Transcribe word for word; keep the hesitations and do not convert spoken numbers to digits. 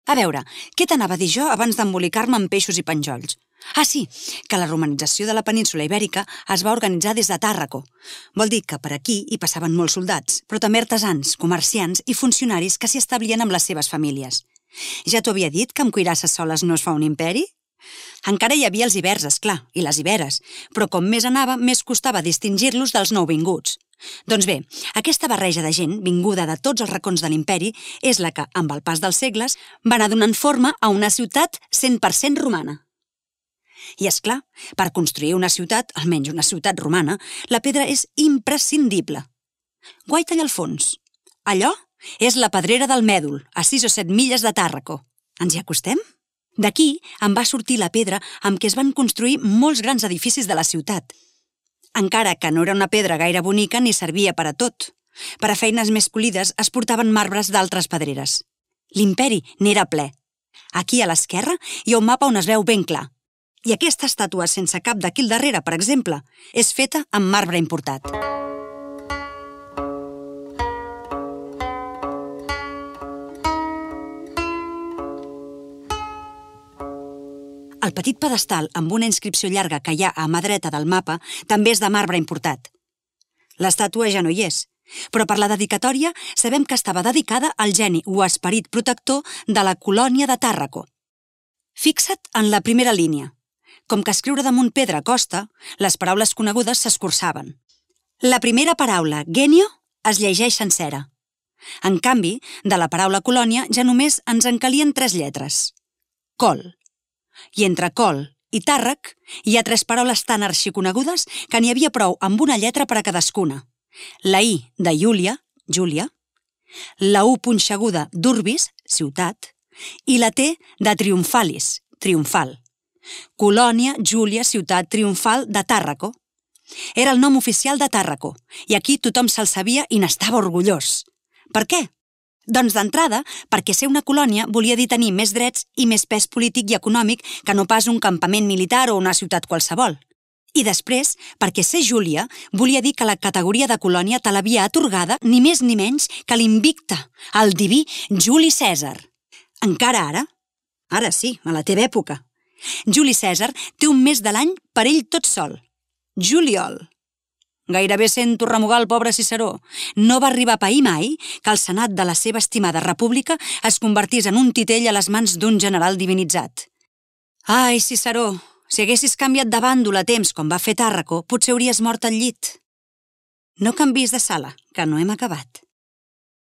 A veure, què t'anava a dir jo abans d'embolicar-me amb peixos i penjolls? Ah, sí, que la romanització de la península Ibèrica es va organitzar des de Tàrraco. Vol dir que per aquí hi passaven molts soldats, però també artesans, comerciants i funcionaris que s'hi establien amb les seves famílies. Ja t'ho havia dit que amb cuirasses soles no es fa un imperi? Encara hi havia els ibers, esclar, i les iberes, però com més anava, més costava distingir-los dels nouvinguts. Doncs bé, aquesta barreja de gent, vinguda de tots els racons de l'imperi, és la que, amb el pas dels segles, va anar donant forma a una ciutat cent per cent romana. I és clar, per construir una ciutat, almenys una ciutat romana, la pedra és imprescindible. Guaita allà al fons. Allò és la pedrera del Mèdol, a sis o set milles de Tàrraco. Ens hi acostem? D'aquí en va sortir la pedra amb què es van construir molts grans edificis de la ciutat. Encara que no era una pedra gaire bonica ni servia per a tot. Per a feines més polides es portaven marbres d'altres pedreres. L'imperi n'era ple. Aquí a l'esquerra hi ha un mapa on es veu ben clar. I aquesta estàtua sense cap d'aquí al darrere, per exemple, és feta amb marbre importat. El petit pedestal amb una inscripció llarga que hi ha a mà dreta del mapa també és de marbre importat. L'estàtua ja no hi és, però per la dedicatòria sabem que estava dedicada al geni o esperit protector de la colònia de Tàrraco. Fixa't en la primera línia. Com que escriure damunt pedra costa, les paraules conegudes s'escurçaven. La primera paraula, genio, es llegeix sencera. En canvi, de la paraula colònia ja només ens en calien tres lletres. Col. I entre col i tàrrac hi ha tres paraules tan arxiconegudes que n'hi havia prou amb una lletra per a cadascuna. La I de Júlia, Júlia, la U punxeguda d'Urbis, ciutat, i la T de Triomfalis, triomfal. Colònia, Júlia, ciutat triomfal de Tàrraco. Era el nom oficial de Tàrraco, i aquí tothom se'l sabia i n'estava orgullós. Per què? Doncs d'entrada, perquè ser una colònia volia dir tenir més drets i més pes polític i econòmic que no pas un campament militar o una ciutat qualsevol. I després, perquè ser Júlia volia dir que la categoria de colònia te l'havia atorgada ni més ni menys que l'invicte, el diví Juli Cèsar. Encara ara? Ara sí, a la teva època. Juli Cèsar té un mes de l'any per ell tot sol. Juliol. Gairebé sento remugar el pobre Ciceró. No va arribar a pair mai que el senat de la seva estimada república es convertís en un titell a les mans d'un general divinitzat. Ai, Ciceró, si haguessis canviat de bàndol a temps com va fer Tàrraco, potser hauries mort al llit. No canvis de sala, que no hem acabat.